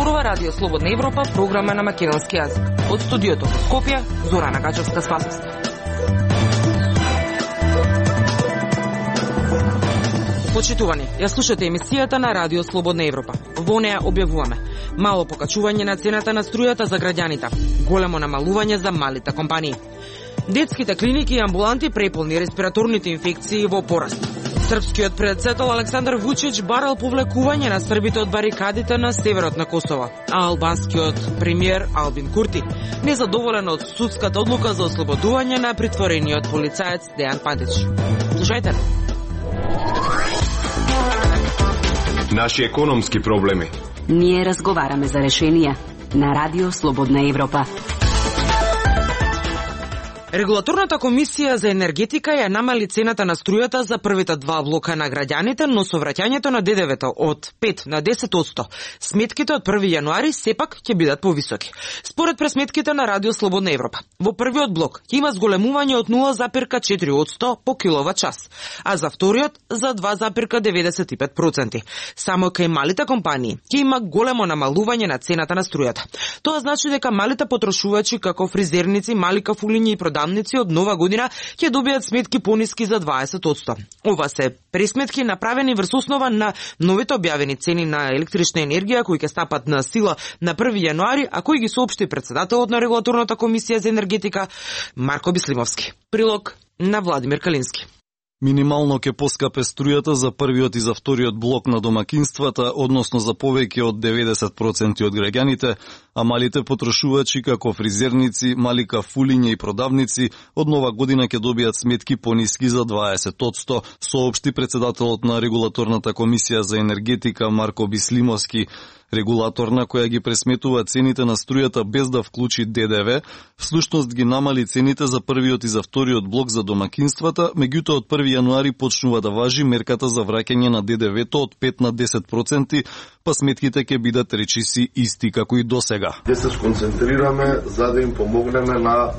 Зборува Радио Слободна Европа, програма на македонски јазик. Од студиото во Скопје, Зорана Гачевска-Спасовска. Почитувани, ја слушате емисијата на Радио Слободна Европа. Во неа објавуваме мало покачување на цената на струјата за граѓаните, големо намалување за малите компании. Детските клиники и амбуланти преполни, респираторните инфекции во пораст. Српскиот председател Александар Вучич барал повлекување на србите од барикадите на северот на Косово, а албанскиот премиер Албин Курти незадоволен од судската одлука за ослободување на притворениот полицаец Дејан Пандич. Слушајте. Наши економски проблеми. Ние разговараме за решенија на Радио Слободна Европа. Регулаторната комисија за енергетика ја намали цената на струјата за првите два блока на граѓаните, но со враќањето на ДДВ-то од 5 на 10%, сметките од 1 јануари сепак ќе бидат повисоки. Според пресметките на Радио Слободна Европа, во првиот блок ќе има зголемување од 0,4% по киловат час, а за вториот за 2,95%. Само кај малите компании ќе има големо намалување на цената на струјата. Тоа значи дека малите потрошувачи како фризерници, мали кафулиња и продавници од нова година ќе добијат сметки пониски за 20%. Ова се пресметки направени врз основа на новите објавени цени на електрична енергија кои ќе стапат на сила на 1 јануари, а кои ги соопшти председателот на Регулаторната комисија за енергетика Марко Бислимовски. Прилог на Владимир Калински. Минимално ќе поскапе струјата за првиот и за вториот блок на домакинствата, односно за повеќе од 90% од граѓаните, а малите потрошувачи како фризерници, мали кафулиња и продавници од нова година ќе добијат сметки пониски за 20%, соопшти председателот на Регулаторната комисија за енергетика Марко Бислимовски. Регулаторна која ги пресметува цените на струјата без да вклучи ДДВ, всушност ги намали цените за првиот и за вториот блок за домакинствата, меѓутоа од 1 јануари почнува да важи мерката за враќање на ДДВ-то од 5 на 10%, па сметките ќе бидат речиси исти како и досега. Ќе се сконцентрираме за да им помогнеме на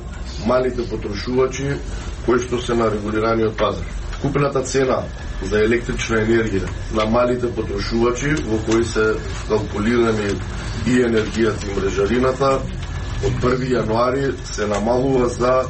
малите потрошувачи кои што се на регулираниот пазар. Купната цена за електрична енергија на малите потрошувачи во кои се калкулирани и енергијата и мрежарината од 1 јануари се намалува за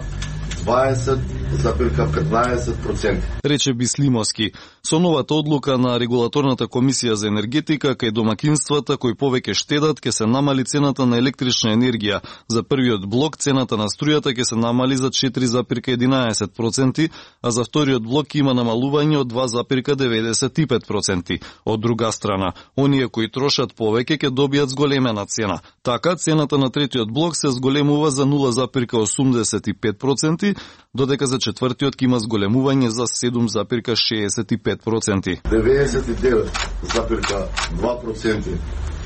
20,15%. Рече Бислимовски. Со новата одлука на Регулаторната комисија за енергетика кај домакинствата кои повеќе штедат ќе се намали цената на електрична енергија. За првиот блок цената на струјата ќе се намали за 4,11%, а за вториот блок ќе има намалување од 2,95%. Од друга страна, оние кои трошат повеќе ќе добијат зголемена цена. Така, цената на третиот блок се зголемува за 0,85%, додека за четвртиот ќе има зголемување за 7,65%. 99,2%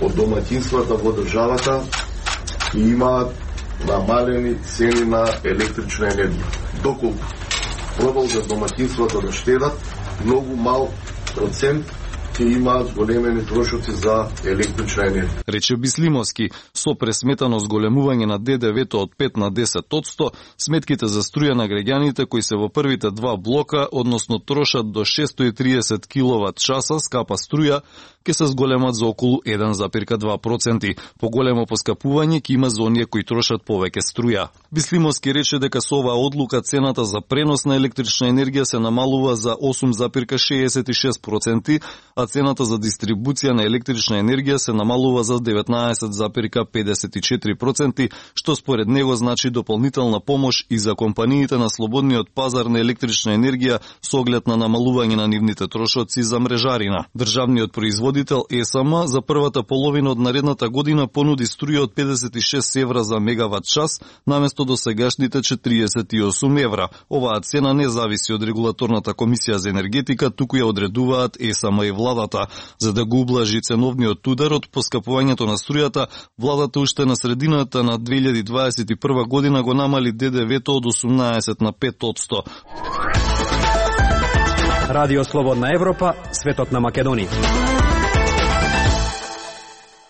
од домаќинствата во државата имаат намалени цени на електрична енергија. Доколку продолжат домаќинствата да штедат, многу мал процент ќе имаат зголемени трошоци за електрична енергија. Рече Бислимовски, со пресметано зголемување на ДДВ-то од 5 на 10%, сметките за струја на граѓаните кои се во првите два блока, односно трошат до 630 киловат часа скапа струја, ќе се зголемат за околу 1,2%. Поголемо поскапување ќе има за оние кои трошат повеќе струја. Бислимовски рече дека со оваа одлука цената за пренос на електрична енергија се намалува за 8,66%, а цената за дистрибуција на електрична енергија се намалува за 19,54%, што според него значи дополнителна помош и за компаниите на слободниот пазар на електрична енергија со оглед на намалување на нивните трошоци за мрежарина. Државниот производител ЕСМ за првата половина од наредната година понуди струја од 56 евра за мегават час, наместо досегашните 48 евра. Оваа цена не зависи од Регулаторната комисија за енергетика, туку ја одредуваат ЕСМ и владата. За да го ублажи ценовниот удар од поскапувањето на струјата, владата уште на средината на 2021 година го намали ДДВ-то од 18 на 5%. Радио Слободна Европа, светот на Македонија.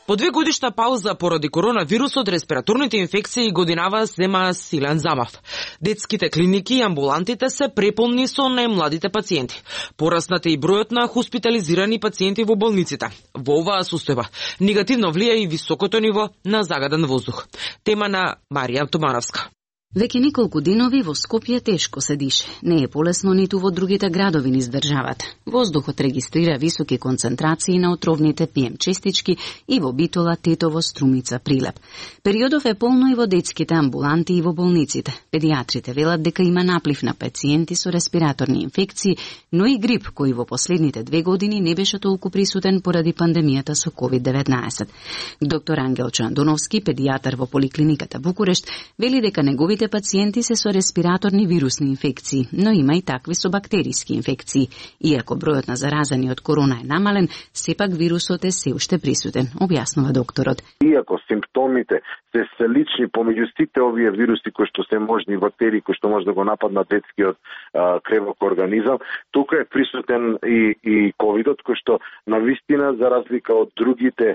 По 2 годишна пауза поради коронавирусот, респираторните инфекции годинава зема силен замав. Детските клиники и амбулантите се преполни со најмладите пациенти. Пораснате и бројот на хоспитализирани пациенти во болниците. Во оваа состојба негативно влија и високото ниво на загаден воздух. Тема на Марија Тумановска. Веќе неколку денови во Скопје тешко се дише. Не е полесно ниту во другите градови низ државата. Воздухот регистрира високи концентрации на отровните ПМ честички и во Битола, Тетово, Струмица, Прилеп. Периодов е полно и во детските амбуланти и во болниците. Педиатрите велат дека има наплив на пациенти со респираторни инфекции, но и грип кој во последните 2 години не беше толку присутен поради пандемијата со COVID-19. Доктор Ангел Чандоновски, педијатар во поликлиниката Букурешт, вели дека неговите пациенти се со респираторни вирусни инфекции, но има и такви со бактериски инфекции. Иако бројот на заразени од корона е намален, сепак вирусот е се уште присутен, објаснува докторот. Иако симптомите се слични помеѓу сите овие вируси кои што се можни бактерии кои што може да го нападнат детскиот кревок организам, тука е присутен и ковидот кој што на вистина за разлика од другите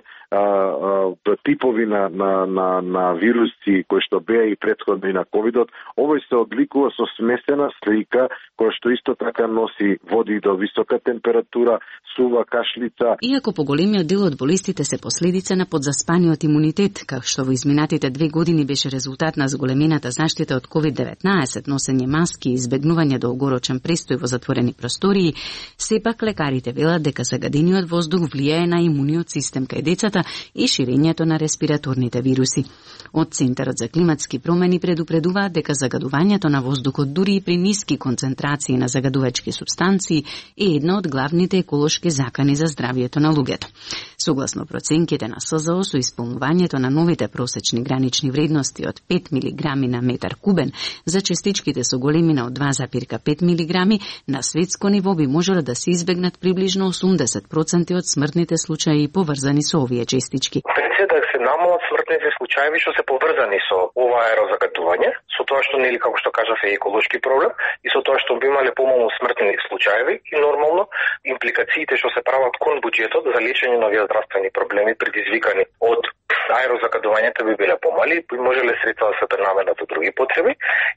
типови на вируси кои што беа и претходно и на ковидот, овој се одликува со смесена слика која што исто така носи води до висока температура, сува, кашлица. Иако поголемиот дел од болестите се последица на подзаспаниот имунитет, како што во изминатите 2 години беше резултат на зголемената заштита од COVID-19, носење маски и избегнување долгорочен престој во затворени простории, сепак лекарите велат дека загадениот воздух влијае на имуниот систем кај децата и ширењето на респираторните вируси. Од Центарот за климатски промени предупредуваат дека загадувањето на воздухот дури и при ниски концентрации на загадувачки супстанции е една од главните еколошки закани за здравието на луѓето. Согласно проценките на СЗО, со исполнувањето на новите просечни гранични вредности од 5 мг на метар кубен за частичките со големина од 2,5 мг, на светско ниво би можело да се избегнат приближно 80% од смртните случаи поврзани со овие частички. Да се намалат смртните случаи што се поврзани со ова аерозагадување, со тоа што нели како што кажав е еколошки проблем и со тоа што би имале помалку смртни случаи и нормално импликациите што се прават кон буџетот за лечење на овие здравствени проблеми предизвикани од аерозагадувањето би биле помали, би можеле средства да се пренаменат за други потреби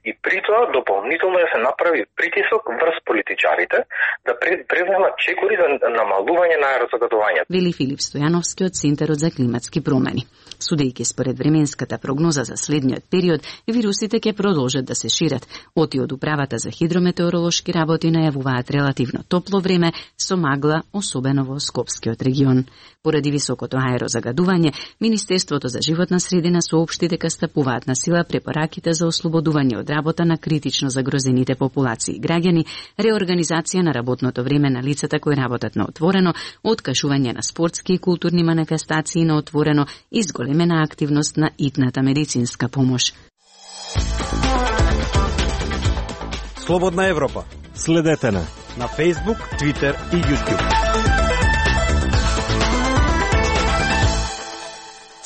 и при тоа дополнително да се направи притисок врз политичарите да преземат чекори за намалување на аерозагадувањето. Вели Филип Стојановски од Центарот за климатски промени. Судејќи според временската прогноза за следниот период, вирусите ќе продолжат да се шират. Оти од Управата за хидрометеоролошки работи најавуваат релативно топло време со магла, особено во Скопскиот регион. Поради високото аерозагадување, Министерството за животна средина соопшти дека стапуваат на сила препораките за ослободување од работа на критично загрозените популации граѓани, реорганизација на работното време на лицата кои работат на отворено, откажување на спортски и културни манифестации на отворено и зголемена активност на итната медицинска помош. Слободна Европа. Следете на Facebook, Twitter и YouTube.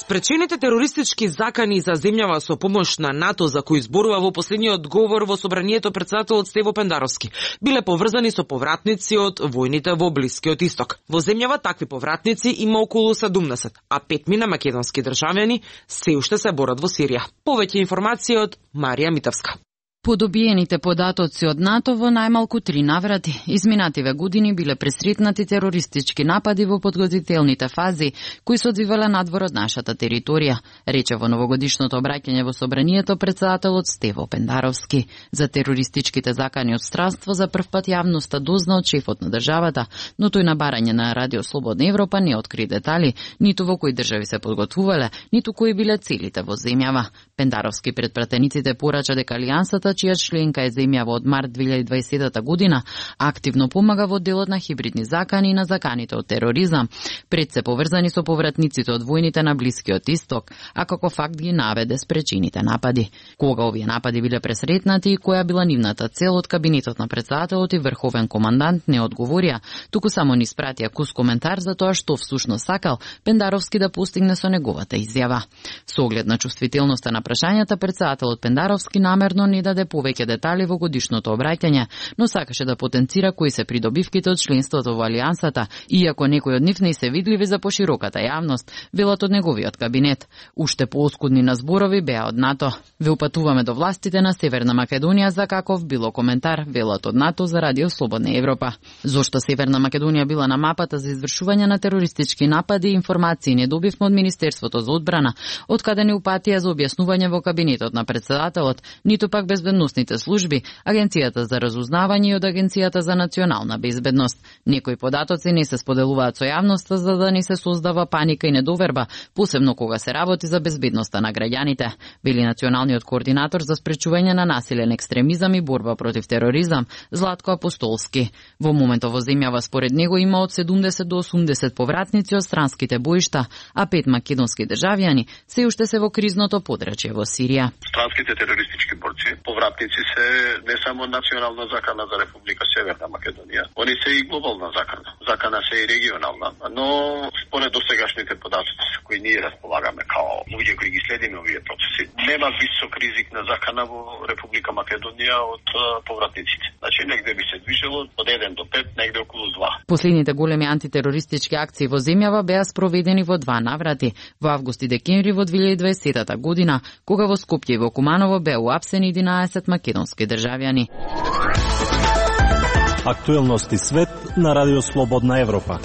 Спречените терористички закани за земјава со помош на НАТО за кои зборува во последниот говор во собранието председателот Стево Пендаровски биле поврзани со повратници од војните во Блискиот Исток. Во земјава такви повратници има околу 70, а 5 мина македонски државјани се уште се борат во Сирија. Повеќе информации од Марија Митовска. По добиените податоци од НАТО во најмалку 3 наврати, изминативе години биле пресретнати терористички напади во подготвителните фази, кои се одвивале надвор од нашата територија, рече во новогодишното обраќање во собранието председателот Стево Пендаровски. За терористичките закани од странство за прв пат јавноста дозна од шефот на државата, но тој на барање на Радио Слободна Европа не откри детали, ниту во кои држави се подготвувале, ниту кои биле целите во земјава. Пендаровски пред пратениците порача дека алијансата, чија членка е земјава од март 2020 година, активно помага во делот на хибридни закани и на заканите од тероризам, пред се поврзани со повратниците од војните на Блискиот Исток, а како факт ги наведе спречените напади. Кога овие напади биле пресретнати и која била нивната цел, од кабинетот на председателот и врховен командант не одговорија, туку само ни спратија кус коментар за тоа што всушност сакал Пендаровски да постигне со неговата изјава. Со оглед на чувствителноста на прашањата, председателот Пендаровски намерно не даде даде повеќе детали во годишното обраќање, но сакаше да потенцира кои се придобивките од членството во Алијансата, иако некои од нив не се видливи за пошироката јавност, велат од неговиот кабинет. Уште пооскудни на зборови беа од НАТО. Ве упатуваме до властите на Северна Македонија за каков било коментар, велат од НАТО за Радио Слободна Европа. Зошто Северна Македонија била на мапата за извршување на терористички напади, информации не добивме од Министерството за одбрана, од каде не упатија за објаснување во кабинетот на председателот, ниту пак безбедносните служби, Агенцијата за разузнавање и од Агенцијата за национална безбедност. Некои податоци не се споделуваат со јавноста за да не се создава паника и недоверба, посебно кога се работи за безбедноста на граѓаните, били националниот координатор за спречување на насилен екстремизам и борба против тероризам, Златко Апостолски. Во моментот во земјава според него има од 70 до 80 повратници од странските боишта, а 5 македонски државјани се уште се во кризното подрачје во Сирија. Странските терористички борци, повратници се не само национална закана за Република Северна Македонија, они се и глобална закана. Закана се и регионална, но според досегашните податоци кои ние располагаме као луѓе кои ги следиме овие процеси, нема висок ризик на закана во Република Македонија од повратниците. Значи негде би се движело од 1 до 5, негде околу 2. Последните големи антитерористички акции во земјава беа спроведени во 2 наврати, во август и декември во 2020 година, кога во Скопје и во Куманово беа уапсени 11 македонски државјани. Актуелности свет на Радио Слободна Европа.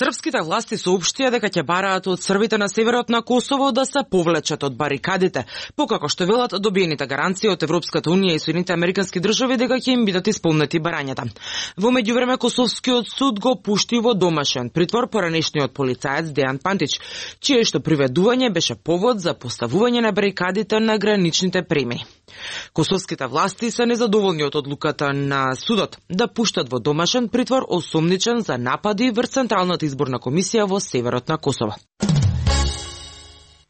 Српските власти соопштија дека ќе бараат од србите на северот на Косово да се повлечат од барикадите, покако што велат добиените гаранции од Европската унија и Соединетите американски држави дека ќе им бидат исполнети барањата. Во меѓувреме Косовскиот суд го пушти во домашен притвор поранешниот полицаец Дејан Пантич, чие што приведување беше повод за поставување на барикадите на граничните премини. Косовските власти се незадоволни од одлуката на судот да пуштат во домашен притвор осомничен за напади врз Централната изборна комисија во северот на Косово.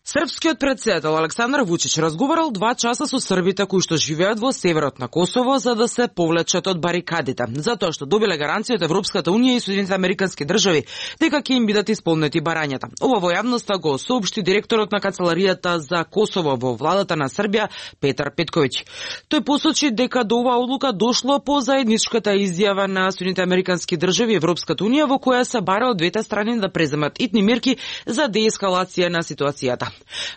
Српскиот претседател Александар Вучич разговарал 2 часа со србите кои што живеат во северот на Косово за да се повлечат од барикадите, затоа што добиле гаранција од Европската унија и Соединетите американски држави дека ќе им бидат исполнети барањата. Ова во јавноста го соопшти директорот на Канцеларијата за Косово во владата на Србија Петар Петковиќ. Тој посочи дека до оваа одлука дошло по заедничката изјава на Соединетите американски држави и Европската унија во која се бара од двете страни да преземат итни мерки за деескалација на ситуацијата.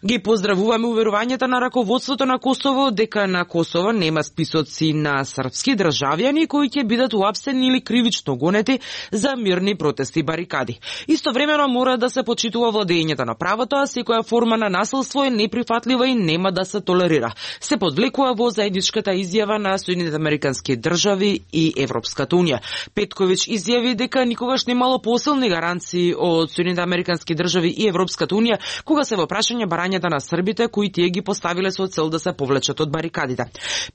Ги поздравуваме уверувањата на раководството на Косово дека на Косово нема списоци на српски државјани кои ќе бидат уапсени или кривично гонети за мирни протести и барикади. Истовремено мора да се почитува владењето на правото, а секоја форма на насилство е неприфатлива и нема да се толерира. Се подвлекува во заедничката изјава на Соединетите американски држави и Европската унија. Петковиќ изјави дека никогаш немало посилни гаранции од Соединетите американски држави и Европската унија кога се во прашање барањата на србите кои тие ги поставиле со цел да се повлечат од барикадите.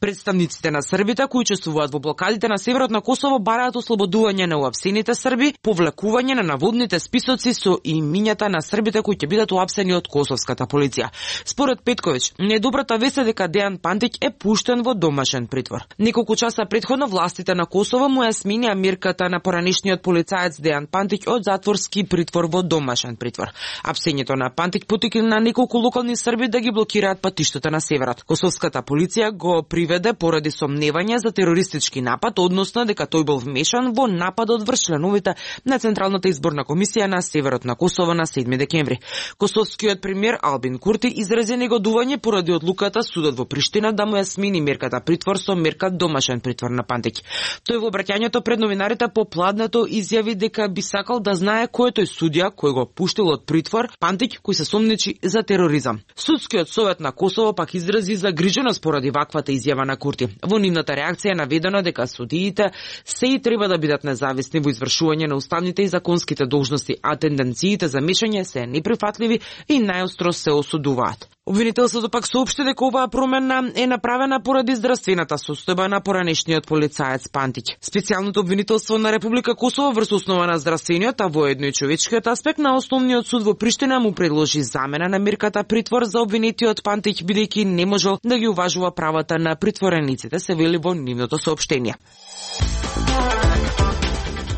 Представниците на србите кои учествуваат во блокадите на северот на Косово бараат ослободување на уапсените срби, повлекување на наводните списоци со имињата на србите кои ќе бидат уапсени од косовската полиција. Според Петковиќ, недобрата вест е дека Дејан Пантич е пуштен во домашен притвор. Неколку часа претходно властите на Косово му ја сменија мерката на поранешниот полицаец Дејан Пантич од затворски притвор во домашен притвор. Апсењето на Пантич потикна на неколку локални срби да ги блокираат патиштата на северот. Косовската полиција го приведе поради сомневање за терористички напад, односно дека тој бил вмешан во нападот врз членовите на Централната изборна комисија на северот на Косово на 7 декември. Косовскиот премиер Албин Курти изрази негодување поради одлуката судот во Приштина да му ја смени мерката притвор со мерка домашен притвор на Пантич. Тој во обраќањето пред новинарите попладнето изјави дека би сакал да знае кој е тој судија кој го пуштил од притвор Пантич кој се сомничи за тероризам. Судскиот совет на Косово пак изрази загриженост поради ваквата изјава на Курти. Во нивната реакција е наведено дека судиите се и треба да бидат независни во извршување на уставните и законските должности, а тенденциите за мешање се неприфатливи и најостро се осудуваат. Обвинителството пак соопшти дека оваа промена е направена поради здравствената состојба на поранешниот полицаец Пантич. Специјалното обвинителство на Република Косово врз основа на здравствениот, а воедно и човечкиот аспект на основниот суд во Приштина му предложи замена на мерката притвор за обвинетиот Пантич, бидејќи не можел да ги уважува правата на притворениците, се вели во нивното соопштение.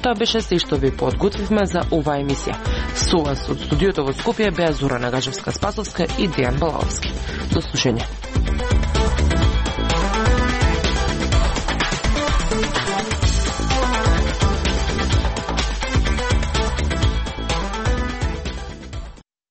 Тоа беше се што ви подготвивме за оваа емисија. Со вас од студиото во Скопје беа Зора Нагажевска-Спасовска и Дејан Балаовски. До слушање.